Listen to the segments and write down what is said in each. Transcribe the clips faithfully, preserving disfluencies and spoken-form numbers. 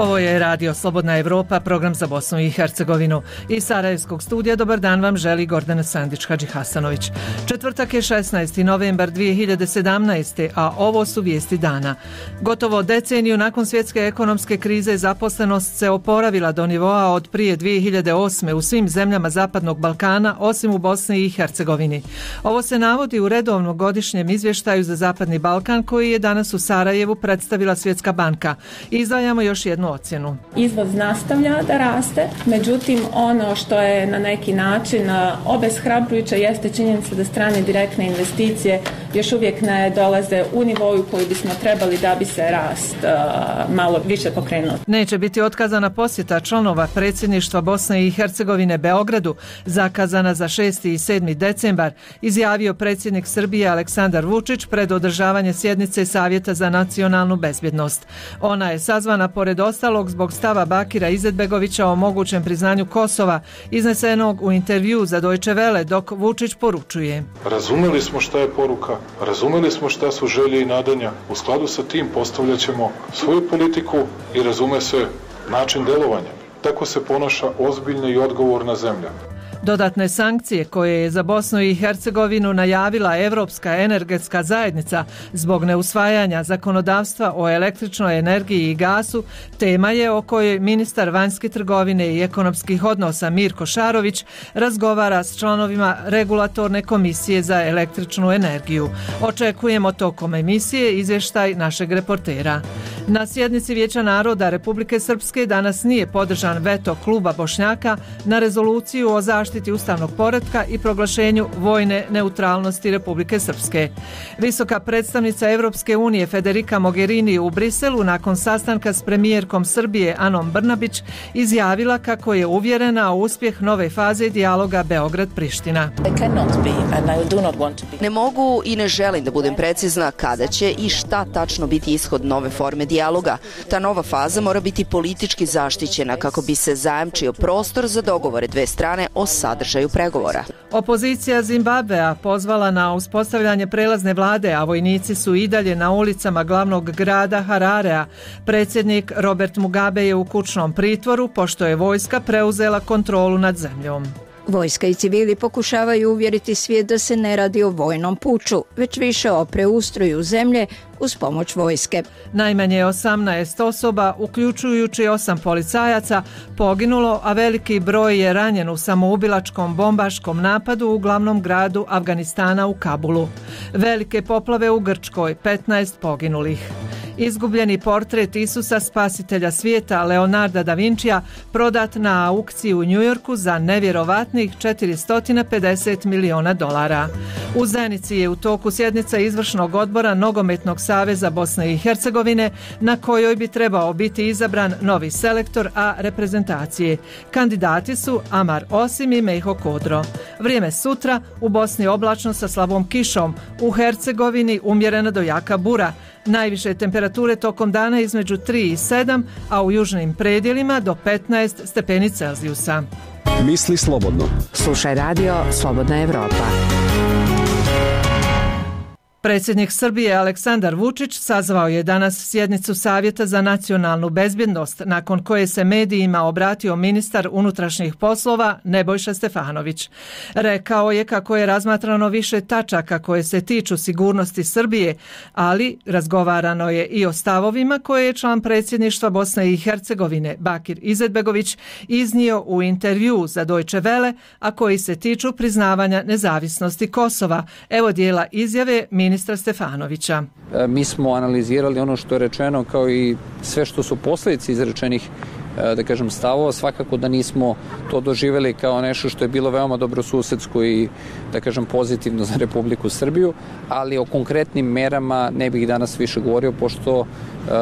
Ovo je Radio Slobodna Evropa, program za Bosnu i Hercegovinu. Iz Sarajevskog studija dobar dan vam želi Gordana Sandić-Hadžihasanović. Četvrtak je šesnaesti novembar dvije hiljade sedamnaeste. a ovo su vijesti dana. Gotovo deceniju nakon svjetske ekonomske krize zaposlenost se oporavila do nivoa od prije dvije hiljade osme. u svim zemljama Zapadnog Balkana, osim u Bosni i Hercegovini. Ovo se navodi u redovnom godišnjem izvještaju za Zapadni Balkan koji je danas u Sarajevu predstavila Svjetska banka. Izdvajamo još jednu ocjenu. Izvoz nastavlja da raste, međutim ono što je na neki način obeshrabrujuće jeste činjenica da strane direktne investicije još uvijek ne dolaze u nivoju koji bismo trebali da bi se rast uh, malo više pokrenuo. Neće biti otkazana posjeta članova predsjedništva Bosne i Hercegovine Beogradu, zakazana za šesti i sedmi decembar, izjavio predsjednik Srbije Aleksandar Vučić pred održavanje sjednice Savjeta za nacionalnu bezbjednost. Ona je sazvana pored ostalog zbog stava Bakira Izetbegovića o mogućem priznanju Kosova, iznesenog u intervju za Deutsche Welle, dok Vučić poručuje: Razumeli smo šta je poruka, razumeli smo šta su želje i nadanja. U skladu sa tim postavljat ćemo svoju politiku i razume se način delovanja. Tako se ponaša ozbiljna i odgovorna zemlja. Dodatne sankcije koje je za Bosnu i Hercegovinu najavila Evropska energetska zajednica zbog neusvajanja zakonodavstva o električnoj energiji i gasu tema je o kojoj ministar vanjske trgovine i ekonomskih odnosa Mirko Šarović razgovara s članovima Regulatorne komisije za električnu energiju. Očekujemo tokom emisije izvještaj našeg reportera. Na sjednici Vijeća naroda Republike Srpske danas nije podržan veto kluba Bošnjaka na rezoluciju o zaštiti ustavnog poretka i proglašenju vojne neutralnosti Republike Srpske. Visoka predstavnica Evropske unije Federica Mogherini u Briselu nakon sastanka s premijerkom Srbije Anom Brnabić izjavila kako je uvjerena u uspjeh nove faze dijaloga Beograd-Priština. Ne mogu i ne želim da budem precizna kada će i šta tačno biti ishod nove forme dijaloga. Ta nova faza mora biti politički zaštićena kako bi se zajamčio prostor za dogovore dve strane o sadržaju pregovora. Opozicija Zimbabvea pozvala na uspostavljanje prelazne vlade, a vojnici su i dalje na ulicama glavnog grada Hararea. Predsjednik Robert Mugabe je u kućnom pritvoru pošto je vojska preuzela kontrolu nad zemljom. Vojska i civili pokušavaju uvjeriti svijet da se ne radi o vojnom puču, već više o preustroju zemlje uz pomoć vojske. Najmanje osamnaest osoba, uključujući osam policajaca, poginulo, a veliki broj je ranjen u samoubilačkom bombaškom napadu u glavnom gradu Afganistana u Kabulu. Velike poplave u Grčkoj, petnaest poginulih. Izgubljeni portret Isusa spasitelja svijeta Leonarda da Vincija prodat na aukciji u Njujorku za nevjerovatnih četiristo pedeset miliona dolara. U Zenici je u toku sjednica izvršnog odbora Nogometnog saveza Bosne i Hercegovine na kojoj bi trebao biti izabran novi selektor A reprezentacije. Kandidati su Amar Osim i Mejho Kodro. Vrijeme sutra: u Bosni oblačno sa slabom kišom, u Hercegovini umjerena do jaka bura. Najviše temperature tokom dana između tri i sedam, a u južnim predjelima do petnaest stepeni Celzijusa. Misli slobodno. Slušaj Radio Slobodna Evropa. Predsjednik Srbije Aleksandar Vučić sazvao je danas sjednicu Savjeta za nacionalnu bezbjednost, nakon koje se medijima obratio ministar unutrašnjih poslova Nebojša Stefanović. Rekao je kako je razmatrano više tačaka koje se tiču sigurnosti Srbije, ali razgovarano je i o stavovima koje je član predsjedništva Bosne i Hercegovine Bakir Izetbegović iznio u intervju za Deutsche Welle, a koji se tiču priznavanja nezavisnosti Kosova. Evo dijela izjave ministra ministra Stefanovića. Mi smo analizirali ono što je rečeno kao i sve što su posljedice izrečenih da kažem stavova, svakako da nismo to doživjeli kao nešto što je bilo veoma dobrosusedsko i da kažem pozitivno za Republiku Srbiju, ali o konkretnim merama ne bih danas više govorio pošto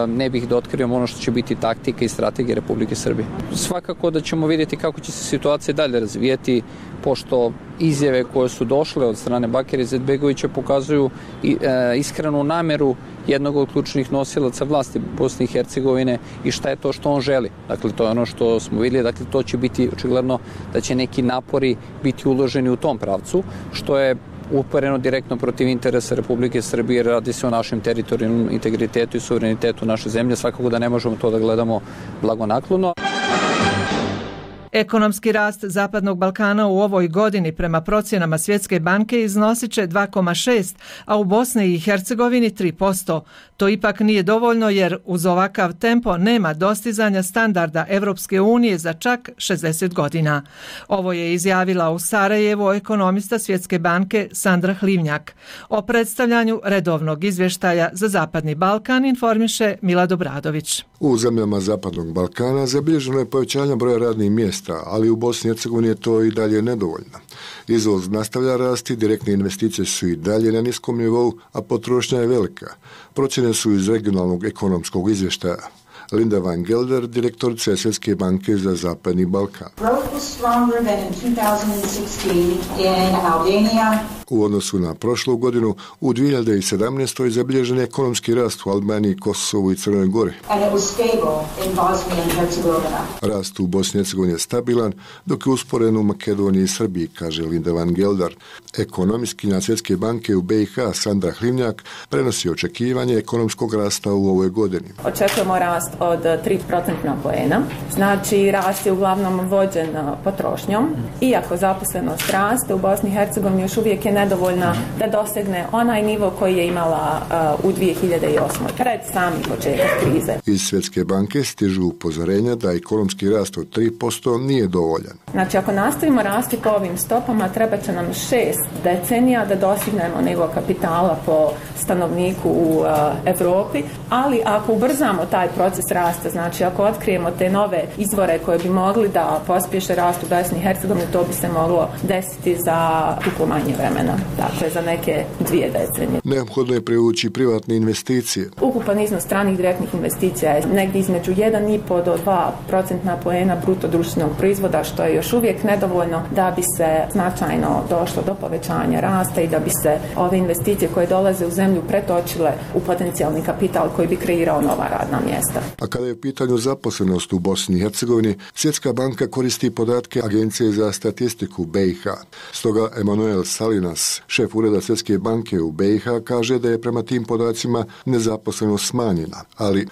ne bih da otkrivam ono što će biti taktika i strategija Republike Srbije. Svakako da ćemo vidjeti kako će se situacija dalje razvijeti, pošto izjave koje su došle od strane Bakira Izetbegovića pokazuju iskrenu nameru jednog od ključnih nosilaca vlasti Bosne i Hercegovine i šta je to što on želi. Dakle, to je ono što smo vidjeli, dakle, to će biti očigledno da će neki napori biti uloženi u tom pravcu, što je upereno direktno protiv interesa Republike Srbije, radi se o našem teritorijalnom integritetu i suverenitetu naše zemlje, svakako da ne možemo to da gledamo blagonaklono. Ekonomski rast Zapadnog Balkana u ovoj godini prema procjenama Svjetske banke iznosit će dva zarez šest, a u Bosni i Hercegovini tri posto. To ipak nije dovoljno jer uz ovakav tempo nema dostizanja standarda Evropske unije za čak šezdeset godina. Ovo je izjavila u Sarajevu ekonomista Svjetske banke Sandra Hlivnjak. O predstavljanju redovnog izvještaja za Zapadni Balkan informiše Milad Obradović. U zemljama Zapadnog Balkana zabilježeno je povećanje broja radnih mjesta, ali u Bosni i Hercegovini je to i dalje nedovoljno. Izvoz nastavlja rasti, direktne investicije su i dalje na niskom nivou, a potrošnja je velika. Procjene su iz regionalnog ekonomskog izvještaja. Linda Van Gelder, direktorica Svjetske banke za Zapadni Balkan. U odnosu na prošlu godinu, u dvije hiljade sedamnaestoj zabilježen je ekonomski rast u Albaniji, Kosovu i Crnoj Gori. Rast u Bosni i Hercegovini je stabilan, dok je usporen u Makedoniji i Srbiji, kaže Linda Van Gelder. Ekonomistkinja Svjetske banke u B i H Sandra Hlivnjak prenosi očekivanje ekonomskog rasta u ovoj godini. Očekujemo rast od tri procentna poena, znači rast je uglavnom vođen potrošnjom. Iako zaposlenost raste, u Bosni i Hercegovini još uvijek je nedovoljna da dosegne onaj nivo koji je imala uh, u dvije hiljade osmoj. pred sami početak krize. Iz Svjetske banke stižu upozorenja da ekonomski rast od tri posto nije dovoljan. Znači ako nastavimo rasti po ovim stopama, treba će nam šest decenija da dostignemo nivo kapitala po stanovniku u uh, Evropi, ali ako ubrzamo taj proces rasta, znači ako otkrijemo te nove izvore koje bi mogli da pospješe rast u Bosni i Hercegovini, to bi se moglo desiti za duplo manje vremena, dakle za neke dvije decenije. Neophodno je privući privatne investicije. Ukupan iznos stranih direktnih investicija je negdje između jedan i po do dva procentna poena bruto društvenog proizvoda, što je još uvijek nedovoljno da bi se značajno došlo do povećanja rasta i da bi se ove investicije koje dolaze u zemlju pretočile u potencijalni kapital koji bi kreirao nova radna mjesta. A kada je u pitanju zaposlenost u Bosni i Hercegovini, Svjetska banka koristi podatke Agencije za statistiku B i H. Stoga Emanuel Salinas, šef ureda Svjetske banke u B i H, kaže da je prema tim podacima nezaposlenost smanjena, ali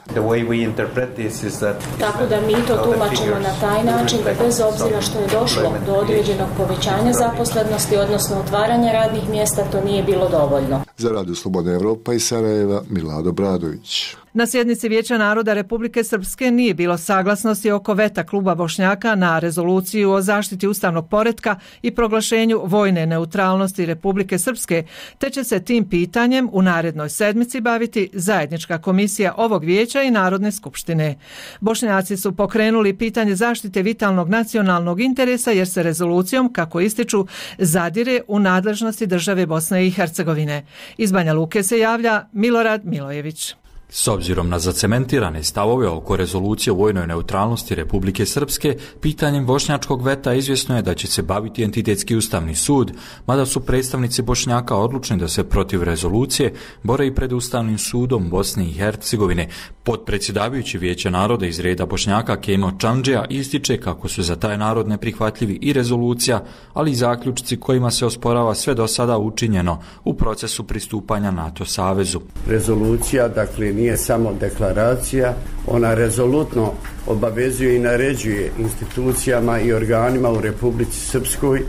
tako da mi to tumačimo na taj način da bez obzira što je došlo do određenog povećanja zaposlenosti, odnosno otvaranja radnih mjesta, to nije bilo dovoljno. Za Radio Slobodna Evropa iz Sarajeva, Milad Obradović. Na sjednici Vijeća naroda Republike Srpske nije bilo saglasnosti oko veta kluba Bošnjaka na rezoluciju o zaštiti ustavnog poretka i proglašenju vojne neutralnosti Republike Srpske, te će se tim pitanjem u narednoj sedmici baviti zajednička komisija ovog vijeća i Narodne skupštine. Bošnjaci su pokrenuli pitanje zaštite vitalnog nacionalnog interesa jer se rezolucijom, kako ističu, zadire u nadležnosti države Bosne i Hercegovine. Iz Banja Luke se javlja Milorad Milojević. S obzirom na zacementirane stavove oko rezolucije o vojnoj neutralnosti Republike Srpske, pitanjem bošnjačkog veta izvjesno je da će se baviti entitetski ustavni sud, mada su predstavnici Bošnjaka odlučni da se protiv rezolucije bore i pred Ustavnim sudom Bosne i Hercegovine. Potpredsjedavajući Vijeća naroda iz reda Bošnjaka Kemo Čandžija ističe kako su za taj narod neprihvatljivi i rezolucija, ali i zaključci kojima se osporava sve do sada učinjeno u procesu pristupanja NATO savezu. Rezolucija, dakle, nije samo deklaracija, ona rezolutno obavezuje i naređuje institucijama i organima u Republici Srpskoj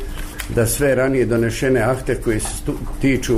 da sve ranije donešene akte koji se tiču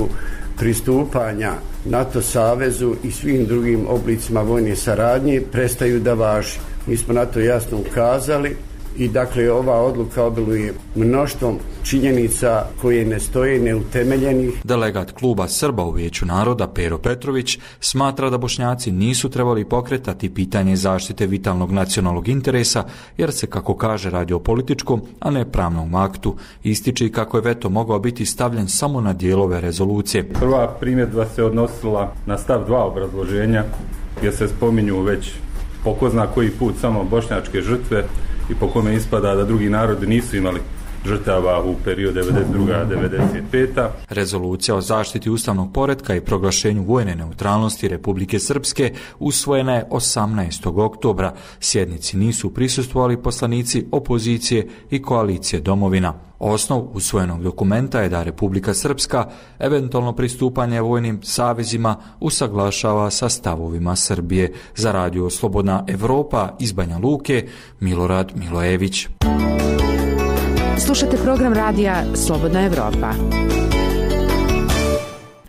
pristupanja NATO savezu i svim drugim oblicima vojne saradnje prestaju da važi. Mi smo na to jasno ukazali i dakle ova odluka obiluje mnoštvom činjenica koje ne stoje neutemeljenih. Delegat kluba Srba u Vijeću naroda Pero Petrović smatra da Bošnjaci nisu trebali pokretati pitanje zaštite vitalnog nacionalnog interesa jer se, kako kaže, radi o političkom, a ne pravnom aktu. Ističe i kako je veto mogao biti stavljen samo na dijelove rezolucije. Prva primjedba se odnosila na stav dva obrazloženja gdje se spominju već po ko zna koji put samo bošnjačke žrtve i po kome ispada da drugi narodi nisu imali žrtava u periodu devedeset druga do devedeset peta. Rezolucija o zaštiti ustavnog poretka i proglašenju vojne neutralnosti Republike Srpske usvojena je osamnaestog oktobra. Sjednici nisu prisustvovali poslanici opozicije i koalicije Domovina. Osnov usvojenog dokumenta je da Republika Srpska eventualno pristupanje vojnim savezima usaglašava sa stavovima Srbije. Za radio Slobodna Evropa iz Banja Luke, Milorad Milojević. Slušate program radija Slobodna Evropa.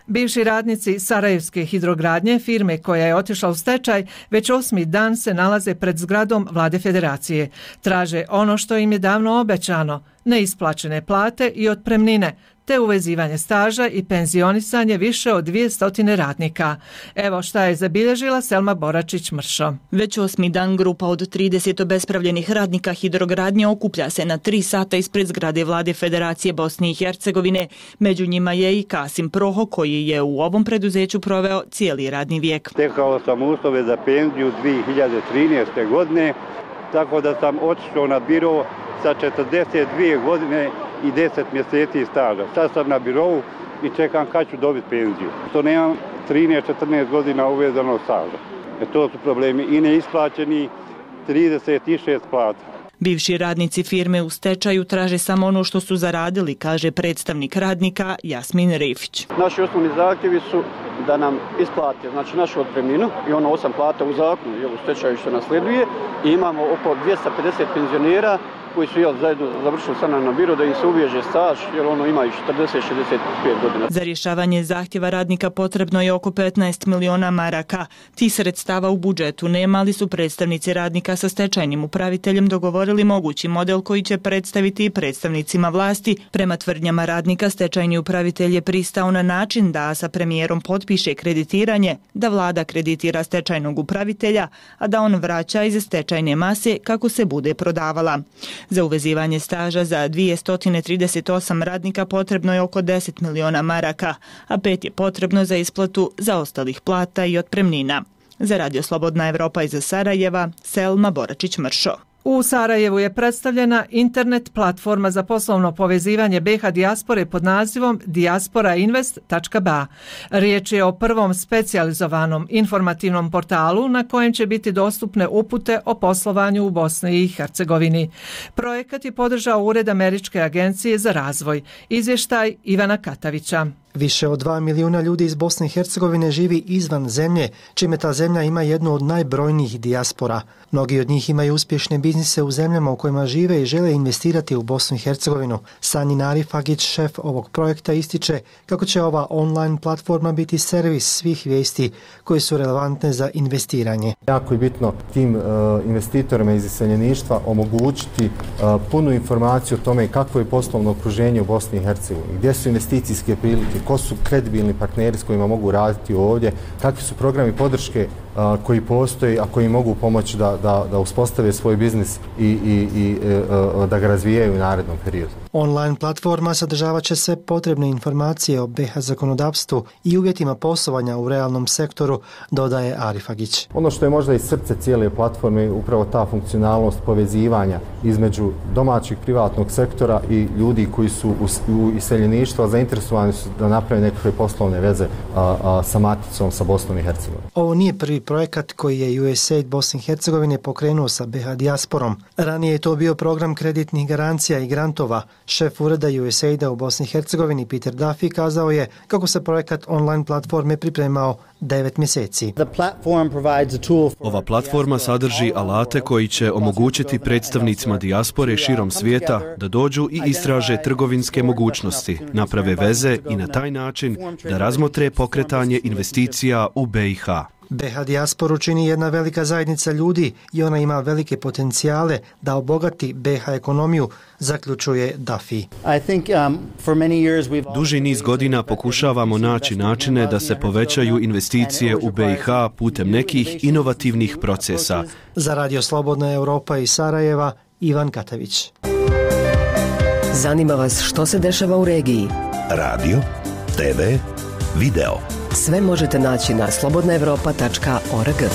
Bivši radnici Sarajevske hidrogradnje, firme koja je otišla u stečaj, već osmi dan se nalaze pred zgradom Vlade Federacije. Traže ono što im je davno obećano, neisplaćene plate i otpremnine, te uvezivanje staža i penzionisanje više od dvjesto radnika. Evo šta je zabilježila Selma Boračić-Mršo. Već osmi dan grupa od trideset obespravljenih radnika hidrogradnje okuplja se na tri sata ispred zgrade Vlade Federacije Bosne i Hercegovine. Među njima je i Kasim Proho, koji je u ovom preduzeću proveo cijeli radni vijek. Stekao sam uslove za penziju dvije hiljade trinaeste. godine, tako da sam otišao na biro sa četrdeset dvije godine i deset mjeseci staža. Sad sam na birovu i čekam kad ću dobiti penziju. To nemam trinaest četrnaest godina uvezanog staža. E to su problemi i neisplaćeni trideset šest plata. Bivši radnici firme u stečaju traže samo ono što su zaradili, kaže predstavnik radnika Jasmin Rifić. Naši osnovni zahtjevi su da nam isplate, znači našu otpremninu i ono osam plata u zakonu i u stečaju što nasleduje. I imamo oko dvjesto pedeset penzionera koji su jel, zajedno završili sa nam na biro da im se uveže staž, jer ono ima i četrdeset šezdeset pet godina. Za rješavanje zahtjeva radnika potrebno je oko petnaest miliona maraka. Ti sredstava u budžetu nema, ali su predstavnici radnika sa stečajnim upraviteljem dogovorili mogući model koji će predstaviti i predstavnicima vlasti. Prema tvrdnjama radnika, stečajni upravitelj je pristao na način da sa premijerom potpiše kreditiranje, da vlada kreditira stečajnog upravitelja, a da on vraća iz stečajne mase kako se bude prodavala. Za uvezivanje staža za dvjesto trideset osam radnika potrebno je oko deset miliona maraka, a pet je potrebno za isplatu zaostalih plata i otpremnina. Za radio Slobodna Evropa iz Sarajeva, Selma Boračić-Mršo. U Sarajevu je predstavljena internet platforma za poslovno povezivanje B iH dijaspore pod nazivom dijaspora invest tačka be a. Riječ je o prvom specijalizovanom informativnom portalu na kojem će biti dostupne upute o poslovanju u Bosni i Hercegovini. Projekat je podržao Ured Američke agencije za razvoj. Izvještaj Ivana Katavića. Više od dva milijuna ljudi iz Bosne i Hercegovine živi izvan zemlje, čime ta zemlja ima jednu od najbrojnijih dijaspora. Mnogi od njih imaju uspješne biznise u zemljama u kojima žive i žele investirati u Bosnu i Hercegovinu. Sanjin Arifagić, šef ovog projekta, ističe kako će ova online platforma biti servis svih vijesti koje su relevantne za investiranje. Jako je bitno tim uh, investitorima iz iseljeništva omogućiti uh, punu informaciju o tome kakvo je poslovno okruženje u Bosni i Hercegovini, gdje su investicijske prilike, ko su kredibilni partneri s kojima mogu raditi ovdje, kakvi su programi podrške a, koji postoji, a koji mogu pomoći da, da, da uspostave svoj biznis i, i, i a, da ga razvijaju u narednom periodu. Online platforma sadržavat će sve potrebne informacije o B iH zakonodavstvu i uvjetima poslovanja u realnom sektoru, dodaje Arifagić. Ono što je možda i srce cijele platforme je upravo ta funkcionalnost povezivanja između domaćeg privatnog sektora i ljudi koji su u, u iseljeništvu, a zainteresovani su da naprave nekakve poslovne veze a, a, sa maticom, sa Bosnom i Hercegovinom. Ovo nije prvi projekat koji je U S A I D Bosne i Hercegovine pokrenuo sa B iH dijasporom. Ranije je to bio program kreditnih garancija i grantova. Šef ureda U S A I D-a u Bosni i Hercegovini Peter Duffy kazao je kako se projekat online platforme pripremao devet mjeseci. Ova platforma sadrži alate koji će omogućiti predstavnicima dijaspore širom svijeta da dođu i istraže trgovinske mogućnosti, naprave veze i na taj način da razmotre pokretanje investicija u B iH. B iH dijasporu čini jedna velika zajednica ljudi i ona ima velike potencijale da obogati B iH ekonomiju, zaključuje Duffy. Duži niz godina pokušavamo naći načine da se povećaju investicije u B iH putem nekih inovativnih procesa. Za Radio Slobodna Evropa iz Sarajeva, Ivan Katavić. Zanima vas što se dešava u regiji? Radio, te ve, video. Sve možete naći na slobodna evropa tačka org.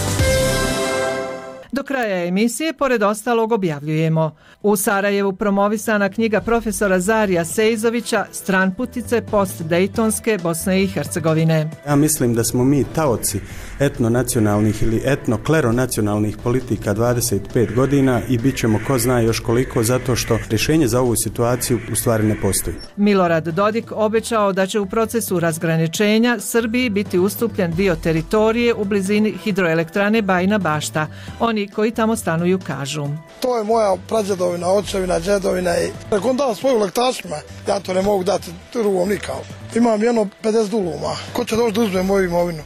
Do kraja emisije, pored ostalog, objavljujemo: u Sarajevu promovisana knjiga profesora Zarija Sejzovića Stranputice post-dejtonske Bosne i Hercegovine. Ja mislim da smo mi taoci etnonacionalnih ili etnokleronacionalnih politika dvadeset pet godina i bit ćemo ko zna još koliko, zato što rješenje za ovu situaciju u stvari ne postoji. Milorad Dodik obećao da će u procesu razgraničenja Srbiji biti ustupljen dio teritorije u blizini hidroelektrane Bajina Bašta. Oni koji tamo stanuju kažu: to je moja prađedovina, očevina, džedovina i ako on da svoju lektašima, ja to ne mogu dati drugom nikao. Imam jedno pedeset duluma. Ko će doći da uzme moju imovinu?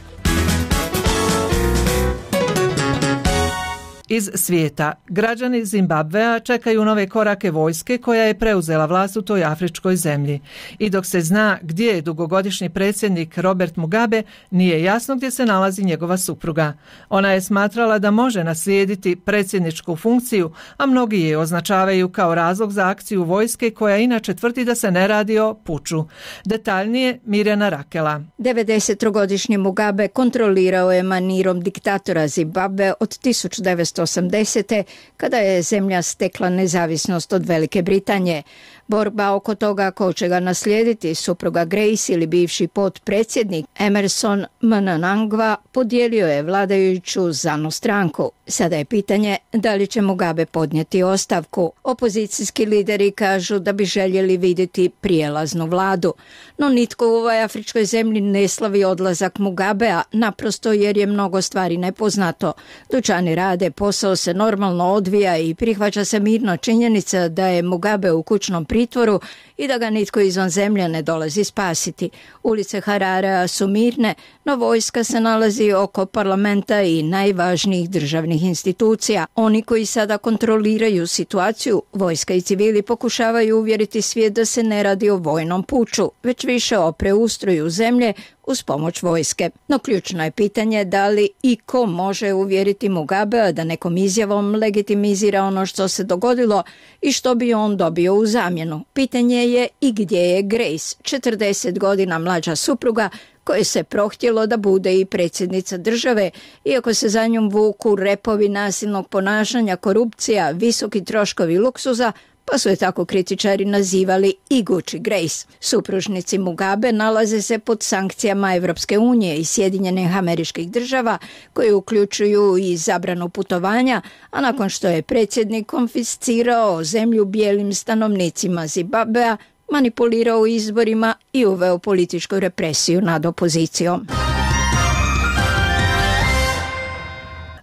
Iz svijeta. Građani Zimbabvea čekaju nove korake vojske koja je preuzela vlast u toj afričkoj zemlji. I dok se zna gdje je dugogodišnji predsjednik Robert Mugabe, nije jasno gdje se nalazi njegova supruga. Ona je smatrala da može naslijediti predsjedničku funkciju, a mnogi je označavaju kao razlog za akciju vojske koja inače tvrdi da se ne radi o puču. Detaljnije Mirjana Rakela. devedesetogodišnji Mugabe kontrolirao je manirom diktatora Zimbabve od tisuću devetsto osamdesete. kada je zemlja stekla nezavisnost od Velike Britanije. Borba oko toga ko će ga naslijediti, supruga Grace ili bivši potpredsjednik Emerson Mnangagwa, podijelio je vladajuću ZANU stranku. Sada je pitanje da li će Mugabe podnijeti ostavku. Opozicijski lideri kažu da bi željeli vidjeti prijelaznu vladu. No nitko u ovoj afričkoj zemlji ne slavi odlazak Mugabea, naprosto jer je mnogo stvari nepoznato. Dućani rade, posao se normalno odvija i prihvaća se mirno činjenica da je Mugabe u kućnom pritvoru i da ga nitko izvan zemlje ne dolazi spasiti. Ulice Hararea su mirne, no vojska se nalazi oko parlamenta i najvažnijih državnih institucija. Oni koji sada kontroliraju situaciju, vojska i civili, pokušavaju uvjeriti svijet da se ne radi o vojnom puču, već više o preustroju zemlje uz pomoć vojske. No ključno je pitanje da li i ko može uvjeriti Mugabea da nekom izjavom legitimizira ono što se dogodilo i što bi on dobio u zamjenu. Pitanje je i gdje je Grace, četrdeset godina mlađa supruga, koje se prohtjelo da bude i predsjednica države, iako se za njom vuku repovi nasilnog ponašanja, korupcija, visoki troškovi luksuza, pa su je tako kritičari nazivali i Gucci Grace. Supružnici Mugabe nalaze se pod sankcijama Evropske unije i Sjedinjenih Američkih Država, koje uključuju i zabranu putovanja, a nakon što je predsjednik konfiscirao zemlju bijelim stanovnicima Zimbabvea, manipulirao izborima i uveo političku represiju nad opozicijom.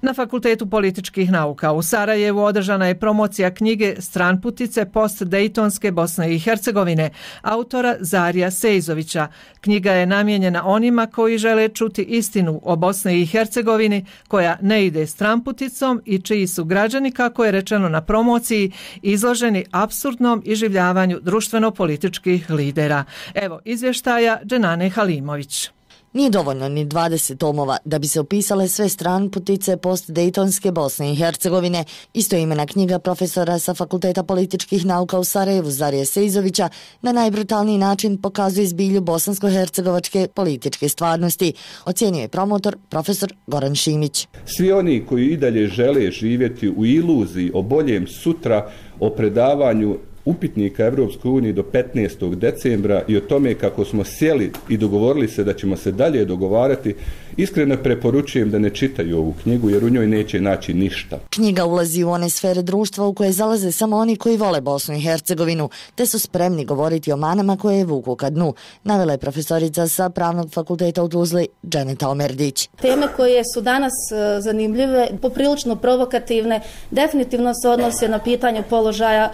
Na Fakultetu političkih nauka u Sarajevu održana je promocija knjige Stranputice post-dejtonske Bosne i Hercegovine autora Zarija Sejzovića. Knjiga je namijenjena onima koji žele čuti istinu o Bosni i Hercegovini koja ne ide stranputicom i čiji su građani, kako je rečeno na promociji, izloženi apsurdnom iživljavanju društveno-političkih lidera. Evo izvještaja Dženane Halimović. Nije dovoljno ni dvadeset tomova da bi se opisale sve stranputice post-dejtonske Bosne i Hercegovine. Istoimena knjiga profesora sa Fakulteta političkih nauka u Sarajevu Zarija Sejzovića na najbrutalniji način pokazuje zbilju bosansko-hercegovačke političke stvarnosti, ocjenio je promotor profesor Goran Šimić. Svi oni koji i dalje žele živjeti u iluziji o boljem sutra, o predavanju upitnika Evropskoj uniji do petnaestog decembra i o tome kako smo sjeli i dogovorili se da ćemo se dalje dogovarati, iskreno preporučujem da ne čitaju ovu knjigu jer u njoj neće naći ništa. Knjiga ulazi u one sfere društva u koje zalaze samo oni koji vole Bosnu i Hercegovinu, te su spremni govoriti o manama koje je vuku ka dnu, navela je profesorica sa Pravnog fakulteta u Tuzli Dženeta Omerdić. Teme koje su danas zanimljive, poprilično provokativne, definitivno se odnose na pitanje položaja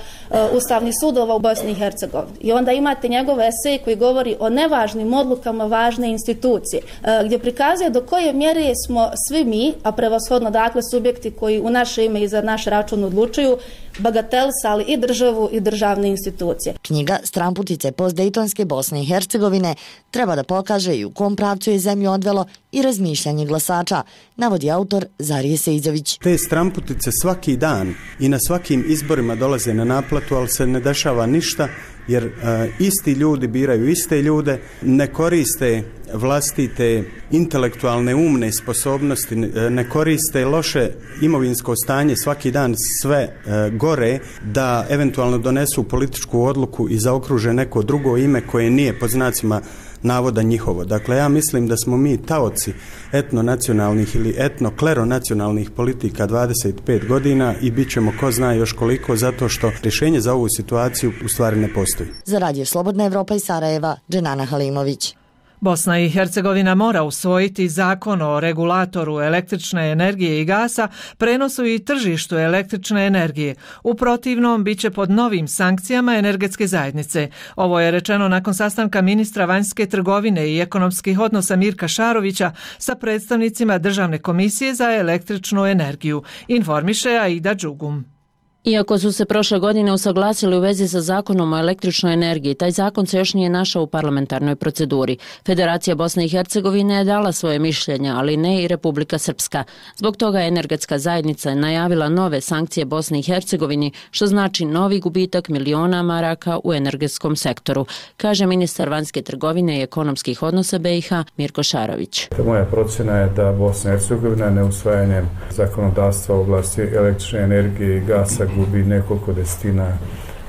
ustavnog sudova u Bosni i Hercegovini. I onda imate njegov esej koji govori o nevažnim odlukama važne institucije, gdje prikazuje do koje mjere smo svi mi, a prevashodno dakle subjekti koji u naše ime i za naš račun odlučuju, bagatelisali i državu i državne institucije. Knjiga Stranputice post-dejtonske Bosne i Hercegovine treba da pokaže i u kom pravcu je zemlju odvelo i razmišljanje glasača, navodi autor Zarije Sejzović. Te stranputice svaki dan i na svakim izborima dolaze na naplatu, ali se ne dešava ništa jer uh, isti ljudi biraju iste ljude, ne koriste vlastite intelektualne umne sposobnosti, ne koriste loše imovinsko stanje svaki dan sve gore da eventualno donesu političku odluku i zaokruže neko drugo ime koje nije pod znacima navoda njihovo. Dakle, ja mislim da smo mi taoci etnonacionalnih ili etno-kleronacionalnih politika dvadeset pet godina i bit ćemo ko zna još koliko, zato što rješenje za ovu situaciju u stvari ne postoji. Za Radio Slobodna Evropa iz Sarajeva, Dženana Halimović. Bosna i Hercegovina mora usvojiti zakon o regulatoru električne energije i gasa, prenosu i tržištu električne energije. U protivnom, bit će pod novim sankcijama energetske zajednice. Ovo je rečeno nakon sastanka ministra vanjske trgovine i ekonomskih odnosa Mirka Šarovića sa predstavnicima Državne komisije za električnu energiju, informiše Aida Đugum. Iako su se prošle godine usaglasili u vezi sa zakonom o električnoj energiji, taj zakon se još nije našao u parlamentarnoj proceduri. Federacija Bosne i Hercegovine je dala svoje mišljenje, ali ne i Republika Srpska. Zbog toga je energetska zajednica najavila nove sankcije Bosni i Hercegovini, što znači novi gubitak miliona maraka u energetskom sektoru, kaže ministar vanjske trgovine i ekonomskih odnosa B i H Mirko Šarović. Moja procjena je da Bosna i Hercegovina neusvajanjem zakonodavstva u oblasti električne energije i gasa gubi nekoliko desetina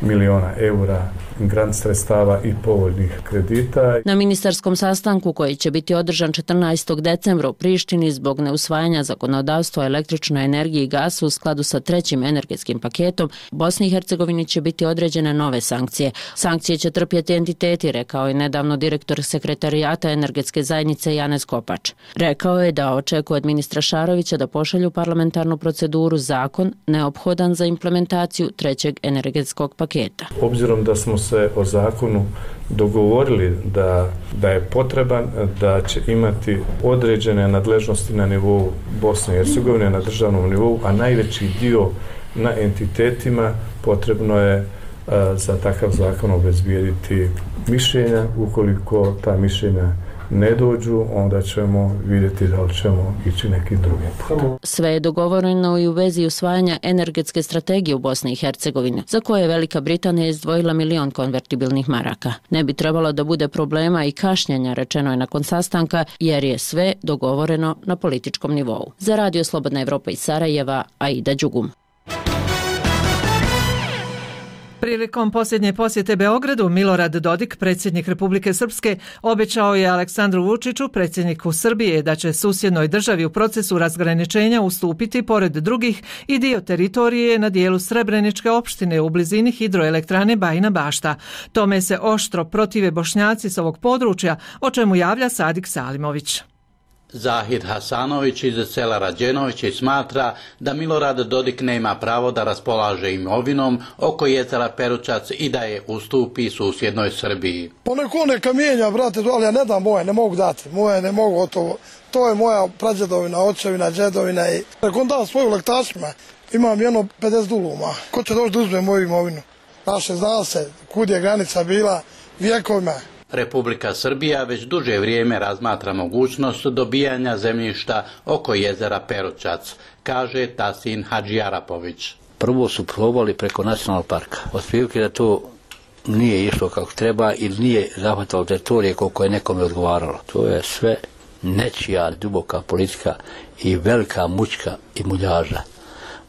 miliona eura grant sredstava i povoljnih kredita. Na ministarskom sastanku koji će biti održan četrnaestog decembra u Prištini zbog neusvajanja zakonodavstva o električnoj energiji i gasu u skladu sa trećim energetskim paketom, Bosni i Hercegovini će biti određene nove sankcije. Sankcije će trpjeti entiteti, rekao je nedavno direktor sekretarijata energetske zajednice Janez Kopač. Rekao je da očekuje od ministra Šarovića da pošalju parlamentarnu proceduru zakon neophodan za implementaciju trećeg energetskog paketa. Obzirom da smo se o zakonu dogovorili da, da je potreban, da će imati određene nadležnosti na nivou Bosne i Hercegovine, na državnom nivou, a najveći dio na entitetima, potrebno je a, za takav zakon obezbijediti mišljenja. Ukoliko ta mišljenja ne dođu, onda ćemo vidjeti da li ćemo ići nekim drugim putem. Sve je dogovoreno i u vezi usvajanja energetske strategije u Bosni i Hercegovini, za koje je Velika Britanija izdvojila milion konvertibilnih maraka. Ne bi trebalo da bude problema i kašnjenja, rečeno je nakon sastanka, jer je sve dogovoreno na političkom nivou. Za Radio Slobodna Evropa iz Sarajeva, Aida Đugum. Prilikom posljednje posjete Beogradu, Milorad Dodik, predsjednik Republike Srpske, obećao je Aleksandru Vučiću, predsjedniku Srbije, da će susjednoj državi u procesu razgraničenja ustupiti, pored drugih, i dio teritorije na dijelu Srebreničke opštine u blizini hidroelektrane Bajina Bašta. Tome se oštro protive Bošnjaci s ovog područja, o čemu javlja Sadik Salimović. Zahid Hasanović iz sela Rađenovići smatra da Milorad Dodik nema pravo da raspolaže imovinom oko jezera Peručac i da je ustupi susjednoj Srbiji. Poneko neka mijenja, brate, ali ja ne dam moje, ne mogu dati. Moje ne mogu, to, to je moja prađedovina, očevina, džedovina. I ako on da svoju lektašima, imam jedno pedeset duluma. Ko će doći da uzme moju imovinu? Naše zna se, kud je granica bila vjekovima. Republika Srbija već duže vrijeme razmatra mogućnost dobijanja zemljišta oko jezera Peručac, kaže Tasin Hadžijarapović. Prvo su probali preko nacionalnog parka. Otprilike da to nije išlo kako treba ili nije zahvatalo teritorije koliko je nekome odgovaralo. To je sve nečija duboka politika i velika mučka i muljaža.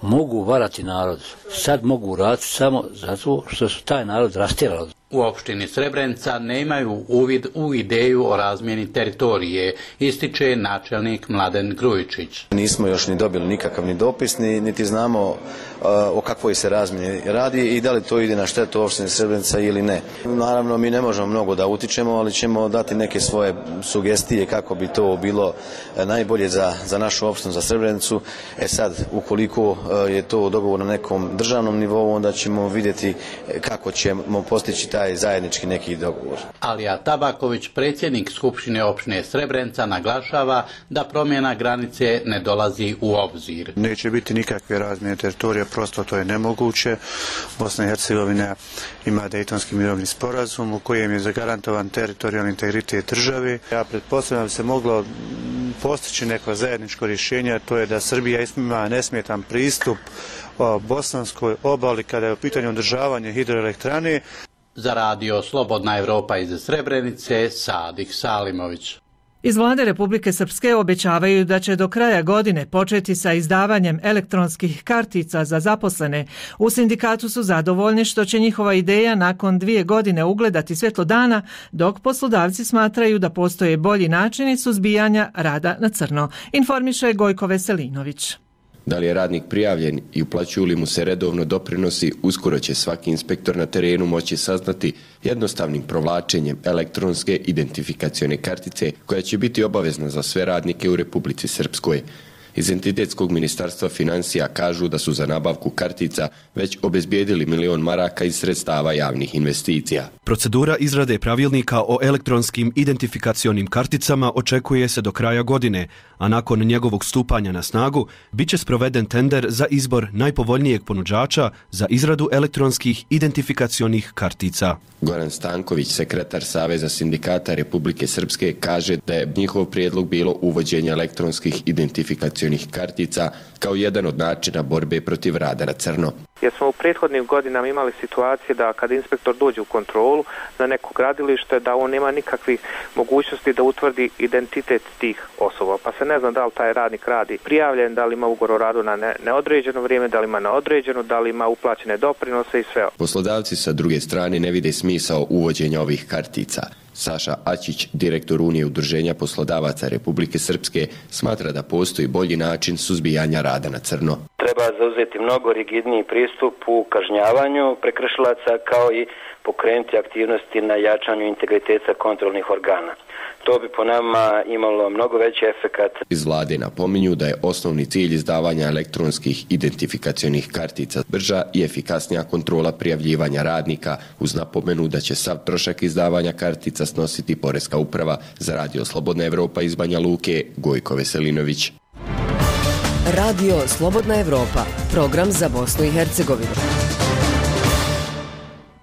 Mogu varati narod. Sad mogu raditi samo zato što su taj narod rastjerali. U opštini Srebrenica nemaju uvid u ideju o razmjeni teritorije, ističe načelnik Mladen Grujičić. Nismo još ni dobili nikakav ni dopis, ni, niti znamo uh, o kakvoj se razmjeni radi i da li to ide na štetu opštine Srebrenica ili ne. Naravno, mi ne možemo mnogo da utičemo, ali ćemo dati neke svoje sugestije kako bi to bilo najbolje za, za našu opštinu, za Srebrenicu. E sad, ukoliko uh, je to dogovor na nekom državnom nivou, onda ćemo vidjeti kako ćemo postići taj zajednički neki dogovor. Alija Tabaković, predsjednik Skupštine opštine Srebrenica, naglašava da promjena granice ne dolazi u obzir. Neće biti nikakve razmjene teritorija, prosto to je nemoguće. Bosna i Hercegovina ima Dejtonski mirovni sporazum u kojem je zagarantovan teritorijalni integritet države. Ja pretpostavljam da se moglo postići neko zajedničko rješenje, to je da Srbija ima nesmetan pristup bosanskoj obali kada je u pitanju održavanje hidroelektrane. Za Radio Slobodna Evropa iz Srebrenice, Sadik Salimović. Iz vlade Republike Srpske obećavaju da će do kraja godine početi sa izdavanjem elektronskih kartica za zaposlene. U sindikatu su zadovoljni što će njihova ideja nakon dvije godine ugledati svjetlo dana, dok poslodavci smatraju da postoje bolji načini suzbijanja rada na crno. Informiše Gojko Veselinović. Da li je radnik prijavljen i uplaćuju li mu se redovno doprinosi, uskoro će svaki inspektor na terenu moći saznati jednostavnim provlačenjem elektronske identifikacione kartice koja će biti obavezna za sve radnike u Republici Srpskoj. Iz Entitetskog ministarstva financija kažu da su za nabavku kartica već obezbijedili milion maraka iz sredstava javnih investicija. Procedura izrade pravilnika o elektronskim identifikacionim karticama očekuje se do kraja godine, a nakon njegovog stupanja na snagu bit će sproveden tender za izbor najpovoljnijeg ponuđača za izradu elektronskih identifikacionih kartica. Goran Stanković, sekretar Saveza sindikata Republike Srpske, kaže da je njihov prijedlog bilo uvođenje elektronskih identifikacionih kartica kao jedan od načina borbe protiv rada na crno. Jer smo u prethodnim godinama imali situacije da kad inspektor dođe u kontrolu na neko gradilište, da on nema nikakvih mogućnosti da utvrdi identitet tih osoba. Pa se ne zna da li taj radnik radi prijavljen, da li ima ugovor o radu na ne, neodređeno vrijeme, da li ima na određeno, da li ima uplaćene doprinose i sve. Poslodavci sa druge strane ne vide smisao uvođenja ovih kartica. Saša Ačić, direktor Unije udruženja poslodavaca Republike Srpske, smatra da postoji bolji način suzbijanja rada na crno. Treba zauzeti mnogo rigidniji pristup u kažnjavanju prekršilaca kao i pokrenuti aktivnosti na jačanju integriteta kontrolnih organa. To bi po nama imalo mnogo veći efekat. Iz vlade napominju da je osnovni cilj izdavanja elektronskih identifikacionih kartica brža i efikasnija kontrola prijavljivanja radnika, uz napomenu da će sav trošak izdavanja kartica snositi Poreska uprava. Za Radio Slobodna Evropa iz Banja Luke, Gojko Veselinović. Radio Slobodna Evropa, program za Bosnu i Hercegovinu.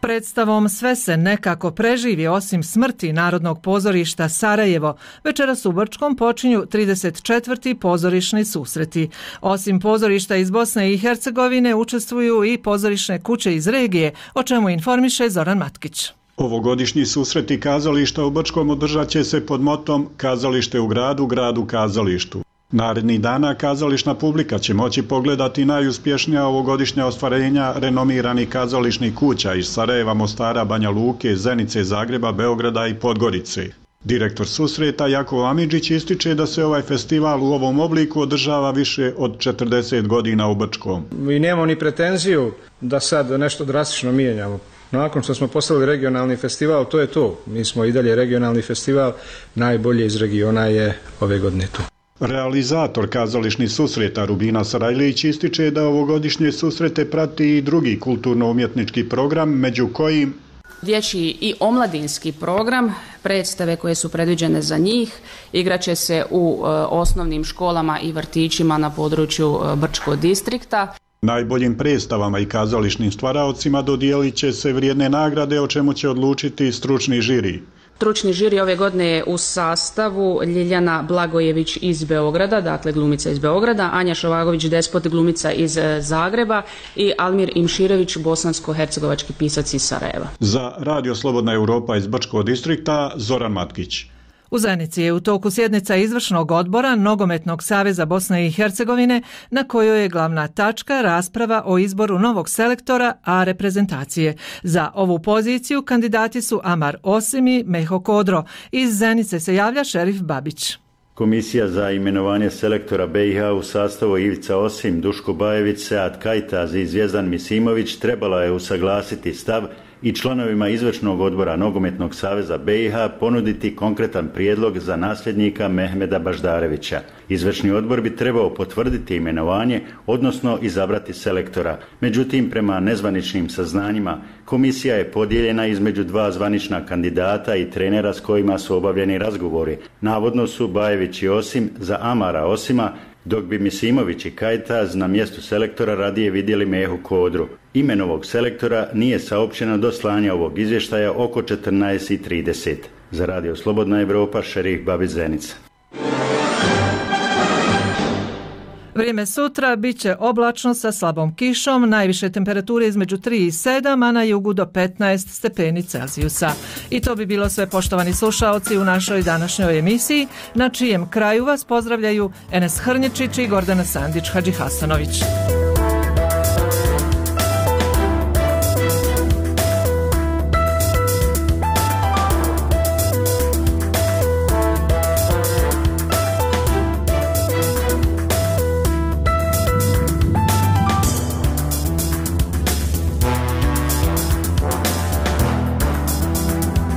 Predstavom Sve se nekako preživi osim smrti Narodnog pozorišta Sarajevo, večeras u Brčkom počinju trideset četvrti pozorišni susreti. Osim pozorišta iz Bosne i Hercegovine učestvuju i pozorišne kuće iz regije, o čemu informiše Zoran Matkić. Ovogodišnji susreti kazališta u Brčkom održat će se pod motom Kazalište u gradu, grad u kazalištu. Narednih dana kazališna publika će moći pogledati najuspješnija ovogodišnja ostvarenja renomiranih kazališnih kuća iz Sarajeva, Mostara, Banja Luke, Zenice, Zagreba, Beograda i Podgorice. Direktor susreta Jakov Amidžić ističe da se ovaj festival u ovom obliku održava više od četrdeset godina u Brčkom. Mi nemamo ni pretenziju da sad nešto drastično mijenjamo. Nakon što smo postavili regionalni festival, to je to. Mi smo i dalje regionalni festival, najbolje iz regiona je ove godine tu. Realizator kazališnih susreta Rubina Sarajlić ističe da ovogodišnje susrete prati i drugi kulturno-umjetnički program, među kojim dječji i omladinski program, predstave koje su predviđene za njih, igraće se u e, osnovnim školama i vrtićima na području e, Brčkog distrikta. Najboljim predstavama i kazališnim stvaraocima dodijelit će se vrijedne nagrade, o čemu će odlučiti stručni žiri. Stručni žiri ove godine je u sastavu Ljiljana Blagojević iz Beograda, dakle glumica iz Beograda, Anja Šovagović Despot, glumica iz Zagreba i Almir Imširević, bosansko-hercegovački pisac iz Sarajeva. Za Radio Slobodna Evropa iz Brčkog distrikta, Zoran Matkić. U Zenici je u toku sjednica izvršnog odbora Nogometnog saveza Bosne i Hercegovine, na kojoj je glavna tačka rasprava o izboru novog selektora A reprezentacije. Za ovu poziciju kandidati su Amar Osim i Meho Kodro. Iz Zenice se javlja Šerif Babić. Komisija za imenovanje selektora B i H u sastavu Ivica Osim, Duško Bajević, Sead Kajtaz i Zvjezdan Misimović trebala je usaglasiti stav i članovima izvršnog odbora Nogometnog saveza B i H ponuditi konkretan prijedlog za nasljednika Mehmeda Baždarevića. Izvršni odbor bi trebao potvrditi imenovanje, odnosno izabrati selektora. Međutim, prema nezvaničnim saznanjima, komisija je podijeljena između dva zvanična kandidata i trenera s kojima su obavljeni razgovori. Navodno su Bajević i Osim za Amara Osima, dok bi Misimović i Kajtaz na mjestu selektora radije vidjeli Mehu Kodru. Ime novog selektora nije saopćeno do slanja ovog izvještaja oko četrnaest i trideset. Za Radio Slobodna Evropa, Šerif Babić, Zenica. Vrijeme sutra bit će oblačno sa slabom kišom, najviše temperature između tri i sedam, a na jugu do petnaest stepeni Celzijusa. I to bi bilo sve, poštovani slušaoci, u našoj današnjoj emisiji, na čijem kraju vas pozdravljaju Enes Hrnječić i Gordana Sandić Hadžihasanović.